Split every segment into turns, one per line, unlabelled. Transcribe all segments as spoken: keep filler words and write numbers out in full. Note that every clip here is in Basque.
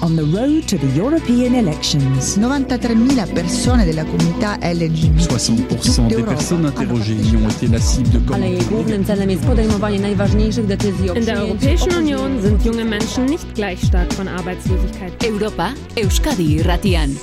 on the road to the European elections.
novantatré mila persone della comunità L G B T.
soixante pour cent des personnes interrogées y ont été la cible de
In der Europäischen Union sind junge Menschen nicht gleich stark von Arbeitslosigkeit.
Europa, Euskadi irratian.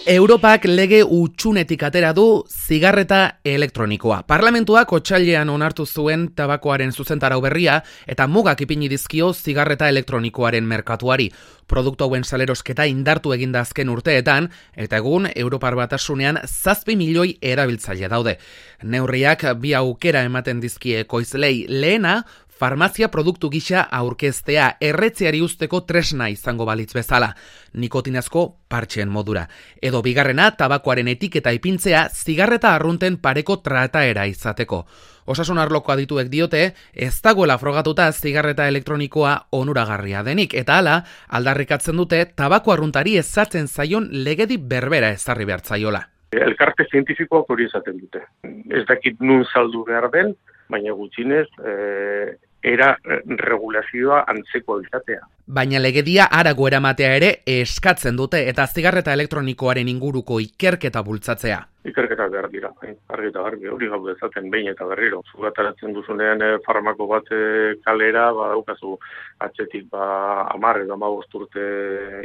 Europak lege utxunetik atera du zigarreta elektronikoa. Parlamentuak otsailean onartu zuen tabakoaren zuzentarau berria eta mugak ipini dizkio zigarreta elektronikoaren merkatuari. Produktu hauen salerosketa indartu eginda azken urteetan, eta egun Europar Batasunean zazpi milioi erabiltzaile daude. Neurriak bi aukera ematen dizkie ekoizlei. Lehena, farmazia produktu gisa aurkeztea erretzeari usteko tresna izango balitz bezala, nikotinazko partxeen modura. Edo bigarrena, tabakoaren etiketa ipintzea zigarreta arrunten pareko trataera izateko. Osasun arloko adituek diote, ez dagoela frogatuta zigarreta elektronikoa onuragarria denik, eta hala, aldarrikatzen dute tabako arruntari ezatzen zaion legedi berbera ezarri behartzaiola.
Elkarte zientifikoak hori esaten dute. Ez dakit nun saldu behar den, baina gutxinez, eh, era regulazioa antzeko izatea.
Baina legedia harago eramatea ere eskatzen dute eta zigarreta elektronikoaren inguruko ikerketa bultzatzea.
Ikerketa behar dira, argi eta garbi, hori gau dezaten behin eta berriro. Zugataratzen duzunean eh, farmako bat eh, kalera, ba, daukazu atzetik ba, hamar edo hamabost urte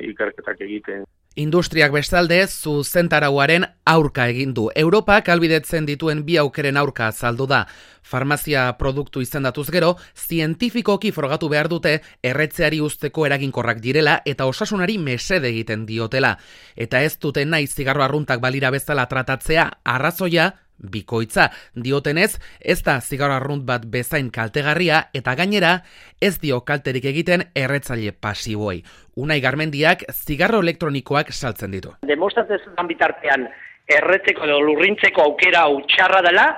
ikerketak egiten.
Industriak bestalde zuzentarauaren aurka egin du. Europak ahalbidetzen dituen bi aukeren aurka azaldu da. Farmazia produktu izendatuz gero, zientifikoki frogatu behar dute erretzeari usteko eraginkorrak direla eta osasunari mesede egiten diotela. Eta ez dute nahi zigarro arruntak balira bezala tratatzea, arrazoia bikoitza. Diotenez, ez da zigarro arrunt bat bezain kaltegarria eta gainera ez dio kalterik egiten erretzaile pasiboei. Unai Garmendiak zigarro elektronikoak saltzen ditu.
Demostratzen bitartean erretzeko edo lurrintzeko aukera hau txarra dela,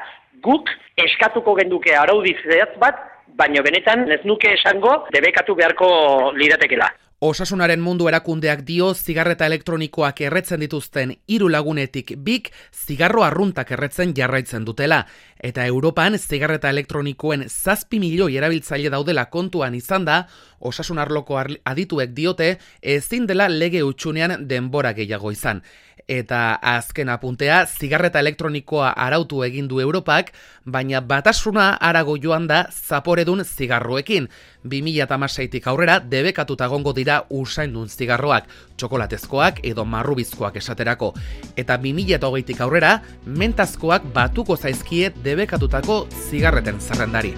guk eskatuko genduke araudi zehatz bat, baina benetan ez nuke esango debekatu beharko liratekela.
Osasunaren mundu erakundeak dio zigarreta elektronikoak erretzen dituzten hiru lagunetik bik zigarro arruntak erretzen jarraitzen dutela. Eta Europan zigarreta elektronikoen zazpi milioi erabiltzaile daudela kontuan izan da, osasun arloko adituek diote ezin dela lege hutsunean denbora gehiago izan. Eta azken apuntea, zigarreta elektronikoa arautu egin du Europak, baina batasuna harago joan da zaporedun zigarroekin. bi mila hamaseitik aurrera debekatuta egongo dira usaindun zigarroak, txokolatezkoak edo marrubizkoak esaterako. Eta bi mila hogeitik aurrera, mentazkoak batuko zaizkie debekatutako zigarreten zerrendari.